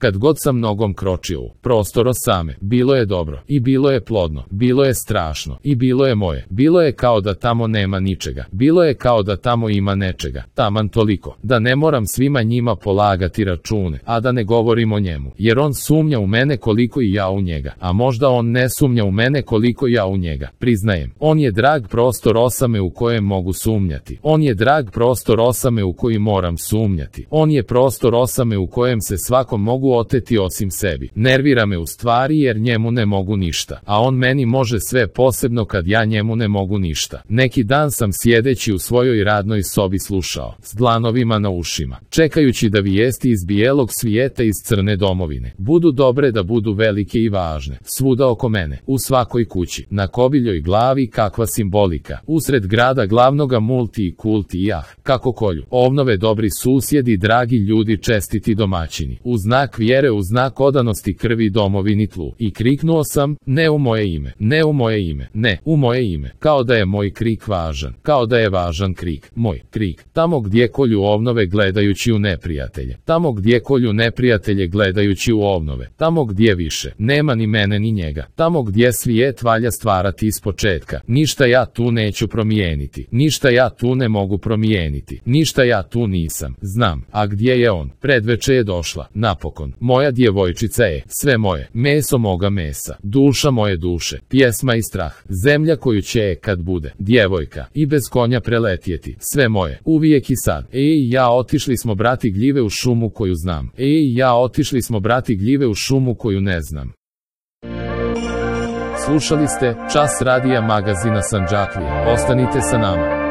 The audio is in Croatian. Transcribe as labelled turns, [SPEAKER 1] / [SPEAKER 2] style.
[SPEAKER 1] Kad god sam nogom kročio u prostor osame, bilo je dobro, i bilo je plodno, bilo je strašno, i bilo je moje. Bilo je kao da tamo nema ničega, bilo je kao da tamo ima nečega, taman toliko, da ne moram svima njima polagati račune, a da ne govorim o njemu, jer on sumnja u mene koliko i ja u njega, a možda on ne sumnja u mene koliko ja u njega. Priznajem, on je drag prostor osame u kojem mogu sumnjati, on je drag prostor osame u koji moram sumnjati, on je prostor osame u kojem se svakom mogu oteti osim sebi. Nervira me u stvari jer njemu ne mogu ništa, a on meni može sve, posebno kad ja njemu ne mogu ništa. Neki dan sam sjedeći u svojoj radnoj sobi slušao, s dlanovima na ušima, čekajući da vijesti iz bijelog svijeta, iz crne domovine, budu dobre, da budu velike i važne, svuda oko mene, u svakoj kući, na kobiljoj glavi kakva simbolika, usred grada glavnoga multi i kulti, kako kolju ovnove dobri susjedi, dragi ljudi, čestiti domaćini, u znak vjere, u znak odanosti krvi domovini tlu. I kriknuo sam, ne u moje ime, ne u moje ime, ne, u moje ime, kao da je moj krik važan, kao da je važan krik, moj krik, tamo gdje kolju ovnove gledajući u neprijatelje, tamo gdje kolju neprijatelje gledajući u ovnove, tamo gdje više nema ni mene ni njega, tamo gdje svijet valja stvarati ispočetka, ništa ja tu neću promijeniti, ništa ja tu ne mogu promijeniti, ništa ja tu nisam, znam, a gdje je on? Predveče je došla, napokon, moja djevojčica je, sve moje, meso moga mesa, duša moje duše, pjesma i strah, zemlja koju će kad bude, djevojka, i bez konja preletjeti, sve moje, uvijek i sad. Ja otišli smo brati gljive u šumu koju znam, ja otišli smo brati gljive u šumu koju ne znam. Slušali ste Čas radija magazina Sandžaklija. Ostanite sa nama.